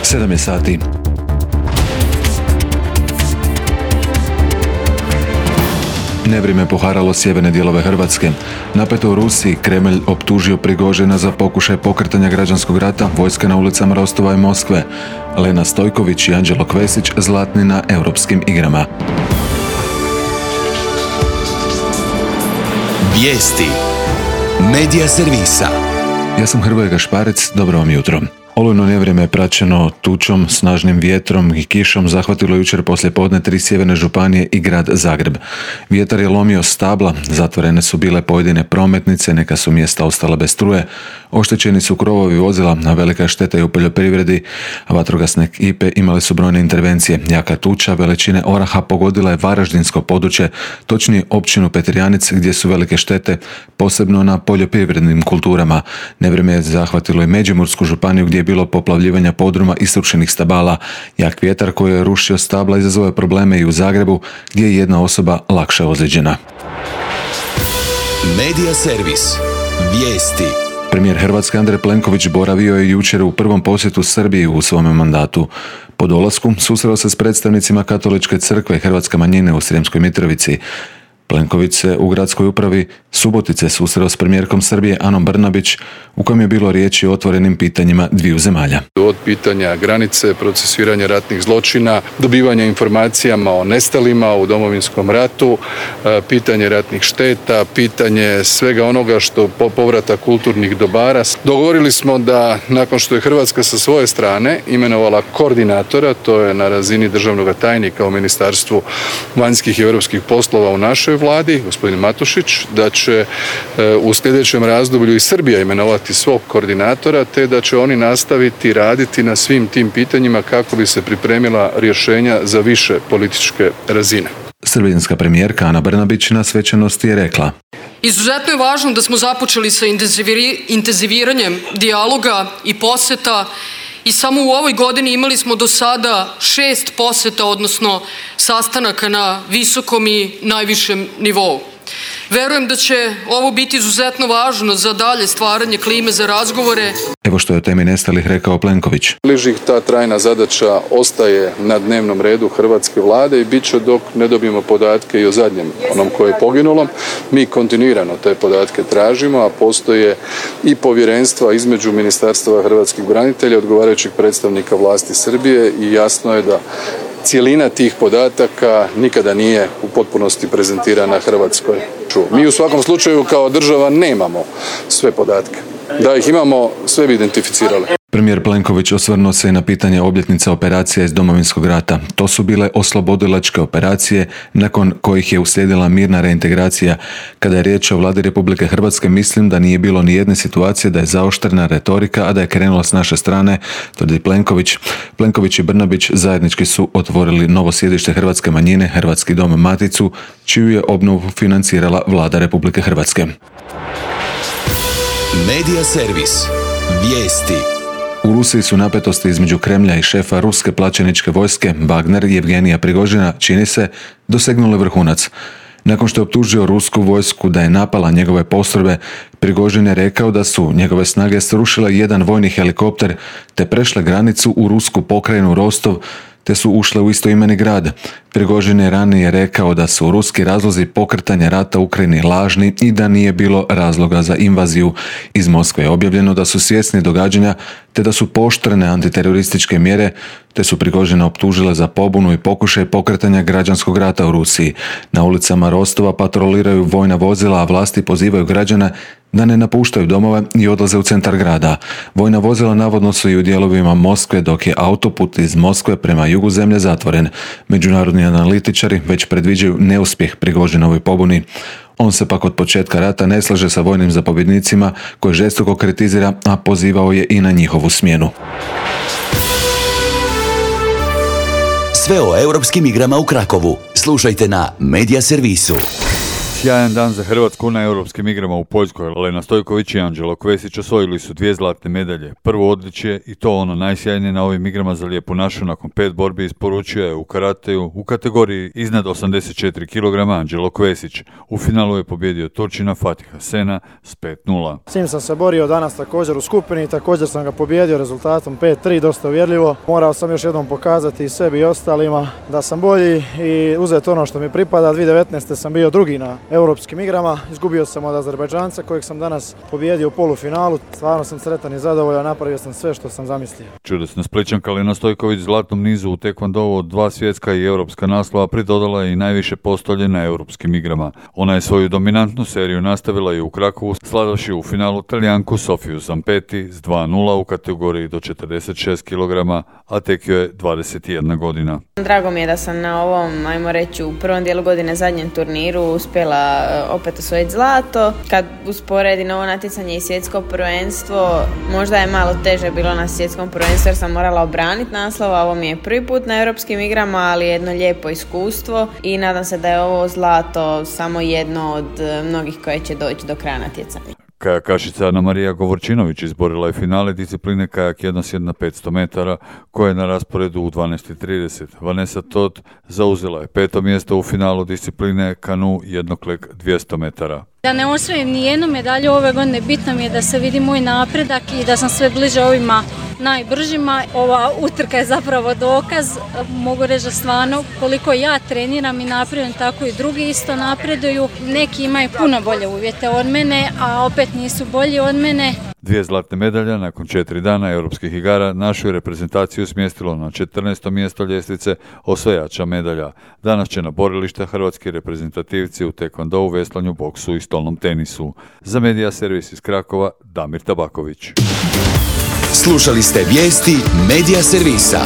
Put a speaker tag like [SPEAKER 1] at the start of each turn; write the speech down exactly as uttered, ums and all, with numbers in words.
[SPEAKER 1] sedam je sati. Nevrijeme poharalo sjeverne dijelove Hrvatske. Napeto u Rusiji, Kremlj optužio Prigožina za pokušaj pokretanja građanskog rata, vojska na ulicama Rostova i Moskve. Lena Stojković i Anđelo Kvesić zlatni na europskim igrama.
[SPEAKER 2] Vijesti Medija servisa.
[SPEAKER 1] Ja sam Hrvoje Gašparec, dobro vam jutro. Olujno nevrijeme je praćeno tučom, snažnim vjetrom i kišom zahvatilo jučer poslijepodne tri sjeverne županije i grad Zagreb. Vjetar je lomio stabla, zatvorene su bile pojedine prometnice, neka su mjesta ostala bez struje, oštećeni su krovovi vozila, a velika šteta je u poljoprivredi, a vatrogasne ekipe imale su brojne intervencije. Jaka tuča veličine oraha pogodila je varaždinsko područje, točnije općinu Petrijanic, gdje su velike štete, posebno na poljoprivrednim kulturama. Nevrijeme je zahvatilo i Međimursku županiju, gdje je bilo poplavljivanja podruma i srušenih stabala. Jak vjetar koji je rušio stabla izazvao je probleme i u Zagrebu, gdje je jedna osoba lakše ozlijeđena.
[SPEAKER 2] Medija servis. Vijesti.
[SPEAKER 1] Premijer Hrvatske Andrej Plenković boravio je jučer u prvom posjetu Srbiji u svome mandatu. Po dolasku susreo se s predstavnicima Katoličke crkve i hrvatske manjine u Sremskoj Mitrovici. Plenković se u gradskoj upravi Subotice susreo s premijerkom Srbije Anom Brnabić, u kojem je bilo riječi o otvorenim pitanjima dviju zemalja.
[SPEAKER 3] Od pitanja granice, procesuiranja ratnih zločina, dobivanja informacijama o nestalima u Domovinskom ratu, pitanje ratnih šteta, pitanje svega onoga što povrata kulturnih dobara. Dogovorili smo da nakon što je Hrvatska sa svoje strane imenovala koordinatora, to je na razini državnog tajnika u Ministarstvu vanjskih i europskih poslova u našoj vladi, gospodin Matušić, da će u sljedećem razdoblju i Srbija imenovati svog koordinatora, te da će oni nastaviti raditi na svim tim pitanjima kako bi se pripremila rješenja za više političke razine.
[SPEAKER 1] Srbijanska premijerka Ana Brnabić na svečanosti je rekla:
[SPEAKER 4] Izuzetno je važno da smo započeli sa intenziviranjem dijaloga i posjeta i samo u ovoj godini imali smo do sada šest posjeta, odnosno sastanaka na visokom i najvišem nivou. Verujem da će ovo biti izuzetno važno za dalje stvaranje klime za razgovore.
[SPEAKER 1] Evo što je o temi nestalih rekao Plenković.
[SPEAKER 3] Bližih ta trajna zadaća ostaje na dnevnom redu hrvatske vlade i bit će dok ne dobijemo podatke i o zadnjem onom koje je poginulo. Mi kontinuirano te podatke tražimo, a postoje i povjerenstva između Ministarstva hrvatskih branitelja, odgovarajućih predstavnika vlasti Srbije i jasno je da cijelina tih podataka nikada nije u potpunosti prezentirana Hrvatskoj. Mi u svakom slučaju kao država nemamo sve podatke. Da ih imamo, sve bi identificirali.
[SPEAKER 1] Premijer Plenković osvrnuo se i na pitanje obljetnica operacija iz Domovinskog rata. To su bile oslobodilačke operacije nakon kojih je uslijedila mirna reintegracija. Kada je riječ o vladi Republike Hrvatske, mislim da nije bilo ni jedne situacije da je zaoštrena retorika, a da je krenula s naše strane, tvrdi Plenković. Plenković i Brnabić zajednički su otvorili novo sjedište hrvatske manjine, Hrvatski dom Maticu, čiju je obnovu financirala vlada Republike Hrvatske.
[SPEAKER 2] Medija servis. Vijesti.
[SPEAKER 1] U Rusiji su napetosti između Kremlja i šefa ruske plaćeničke vojske Wagner Jevgenija Prigožina, čini se, dosegnule vrhunac. Nakon što je optužio rusku vojsku da je napala njegove postrojbe, Prigožin je rekao da su njegove snage srušile jedan vojni helikopter te prešle granicu u rusku pokrajinu Rostov, te su ušle u istoimeni grad. Prigožin je ranije rekao da su ruski razlozi pokretanja rata u Ukrajini lažni i da nije bilo razloga za invaziju. Iz Moskve je objavljeno da su svjesni događanja te da su pooštrene antiterorističke mjere, te su Prigožina optužile za pobunu i pokušaj pokretanja građanskog rata u Rusiji. Na ulicama Rostova patroliraju vojna vozila, a vlasti pozivaju građane da ne napuštaju domove i odlaze u centar grada. Vojna vozila navodno su i u dijelovima Moskve, dok je autoput iz Moskve prema jugu zemlje zatvoren. Međunarodni analitičari već predviđaju neuspjeh Prigožinovoj pobuni. On se pak od početka rata ne slaže sa vojnim zapovjednicima koje žestoko kritizira, a pozivao je i na njihovu smjenu.
[SPEAKER 2] Sve o europskim igrama u Krakovu slušajte na Medija servisu.
[SPEAKER 5] Sjajan dan za Hrvatsku na europskim igrama u Poljskoj. Lena Stojković i Anđelo Kvesić osvojili su dvije zlatne medalje. Prvo odličje, i to ono najsjajnije na ovim igrama za lijepu našu, nakon pet borbi isporučio je u karateju u kategoriji iznad osamdeset četiri kilograma Anđelo Kvesić. U finalu je pobjedio Turčina Fatiha Sena s pet nula.
[SPEAKER 6] S njim sam se borio danas također u skupini, također sam ga pobjedio rezultatom pet tri, dosta uvjerljivo. Morao sam još jednom pokazati i sebi i ostalima da sam bolji i uzeti ono što mi pripada. dvije tisuće devetnaeste. sam bio drugi na europskim igrama, izgubio sam od Azerbajdžanca kojeg sam danas pobjedio u polufinalu. Stvarno sam sretan i zadovoljan, napravio sam sve što sam zamislio.
[SPEAKER 5] Čudesna Splićanka Lena Stojković zlatnom nizu u tekvondou od dva svjetska i europska naslova pridodala je i najviše postolje na europskim igrama. Ona je svoju dominantnu seriju nastavila i u Krakovu, slavivši u finalu Talijanku Sofiju Zampeti s dva nula u kategoriji do četrdeset šest kilograma, a tek joj je dvadeset jedna godina.
[SPEAKER 7] Drago mi je da sam na ovom, ajmo reći, u prvom dijelu godine zadnjem turniru uspjela opet osvojiti zlato. Kad usporedim ovo natjecanje i svjetsko prvenstvo, možda je malo teže bilo na svjetskom prvenstvu jer sam morala obraniti naslov, a ovo mi je prvi put na europskim igrama, ali jedno lijepo iskustvo i nadam se da je ovo zlato samo jedno od mnogih koje će doći do kraja natjecanja.
[SPEAKER 5] Kajakašica Ana Marija Govorčinović izborila je finale discipline kajak jednosjed na petsto metara koja je na rasporedu u dvanaest i trideset. Vanessa Todt zauzela je peto mjesto u finalu discipline kanu jednoklek dvjesto metara.
[SPEAKER 8] Da ne osvojim ni jednu medalju ove godine, bitno mi je da se vidi moj napredak i da sam sve bliže ovima najbržima. Ova utrka je zapravo dokaz, mogu reći da stvarno koliko ja treniram i napredujem, tako i drugi isto napreduju. Neki imaju puno bolje uvjete od mene, a opet nisu bolji od mene.
[SPEAKER 5] Dvije zlatne medalje nakon četiri dana europskih igara našu je reprezentaciju smjestilo na četrnaesto mjesto ljestvice osvajača medalja. Danas će na borilište hrvatski reprezentativci u tekvondou, veslanju, boksu i stolnom tenisu. Za Medija servis iz Krakova, Damir Tabaković.
[SPEAKER 2] Slušali ste vijesti Medija servisa.